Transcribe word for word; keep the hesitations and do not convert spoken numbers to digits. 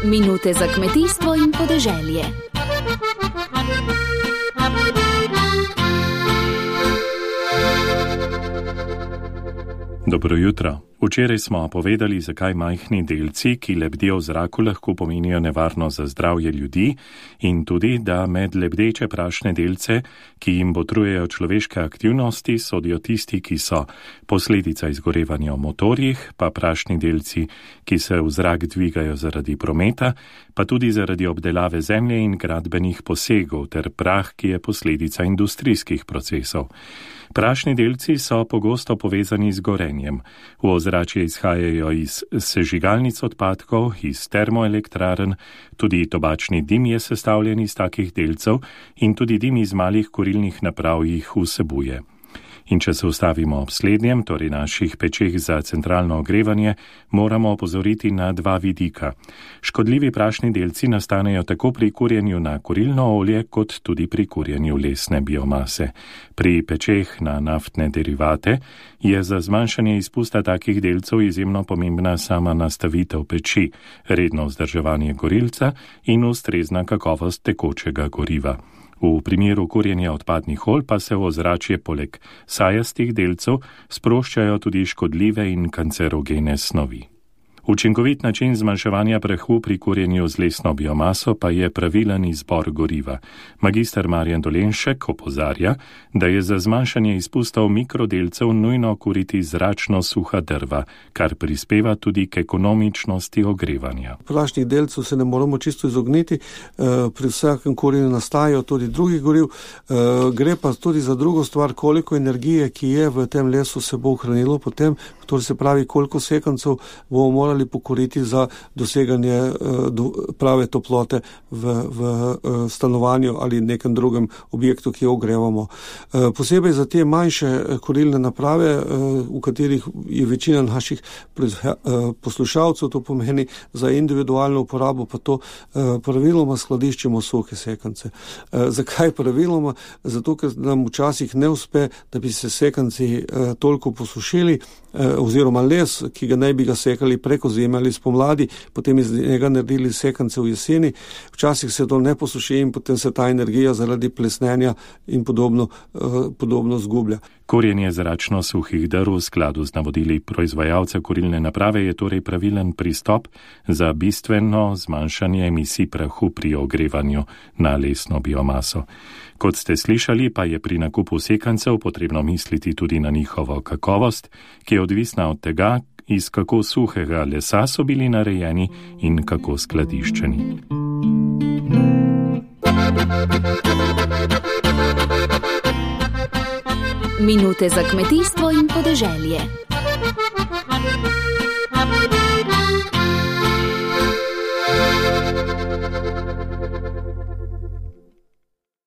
Minute za kmetijstvo in podeželje. Dobro jutro. Včeraj smo povedali, zakaj majhni delci, ki lebdijo v zraku, lahko pomenijo nevarnost za zdravje ljudi in tudi, da med lebdeče prašne delce, ki jim botrujejo človeške aktivnosti, sodijo tisti, ki so posledica izgorevanja v motorjih, pa prašni delci, ki se v zrak dvigajo zaradi prometa, pa tudi zaradi obdelave zemlje in gradbenih posegov ter prah, ki je posledica industrijskih procesov. Prašni delci so pogosto povezani z gorenjem. V ozračje izhajajo iz sežigalnic odpadkov, iz termoelektrarn, tudi tobačni dim je sestavljen iz takih delcev in tudi dim iz malih kurilnih naprav jih vsebuje. In če se ustavimo ob slednjem, torej naših pečeh za centralno ogrevanje, moramo opozoriti na dva vidika. Škodljivi prašni delci nastanejo tako pri kurjenju na kurilno olje, kot tudi pri kurjenju lesne biomase. Pri pečeh na naftne derivate je za zmanjšanje izpusta takih delcev izjemno pomembna sama nastavitev peči, redno vzdrževanje gorilca in ustrezna kakovost tekočega goriva. V primeru kurjenja odpadnih olj pa se v ozračje poleg sajastih delcev sproščajo tudi škodljive in kancerogene snovi. Učinkovit način zmanjševanja prahu pri kurjenju z lesno biomaso pa je pravilen izbor goriva. Magister Marjan Dolenšek opozarja, da je za zmanjšanje izpustov mikrodelcev nujno kuriti zračno suha drva, kar prispeva tudi k ekonomičnosti ogrevanja. Prašnih delcev se ne moramo čisto izogniti, pri vsakem kurjenju nastajajo tudi drugih goriv, gre pa tudi za drugo stvar, koliko energije, ki je v tem lesu, se bo ohranilo potem, to se pravi, koliko sekancev bomo morali pokoriti za doseganje prave toplote v, v stanovanju ali nekem drugem objektu, ki jo ogrevamo. Posebej za te manjše kurilne naprave, v katerih je večina naših poslušalcev, to pomeni za individualno uporabo, pa to praviloma skladiščimo suhe sekance. Zakaj praviloma? Zato, ker nam včasih ne uspe, da bi se sekanci toliko posušili, oziroma les, ki ga naj bi ga sekali preko zime ali spomladi, potem iz njega naredili sekance v jeseni. Včasih se to ne posuši in potem se ta energija zaradi plesnenja in podobno, podobno zgublja. Kurjenje zračno suhih drv v skladu z navodili proizvajalca kurilne naprave je torej pravilen pristop za bistveno zmanjšanje emisij prahu pri ogrevanju na lesno biomaso. Kot ste slišali, pa je pri nakupu sekancev potrebno misliti tudi na njihovo kakovost, ki je odvisna od tega, iz kako suhega lesa so bili narejeni in kako skladiščeni. Minute za kmetijstvo in podeželje.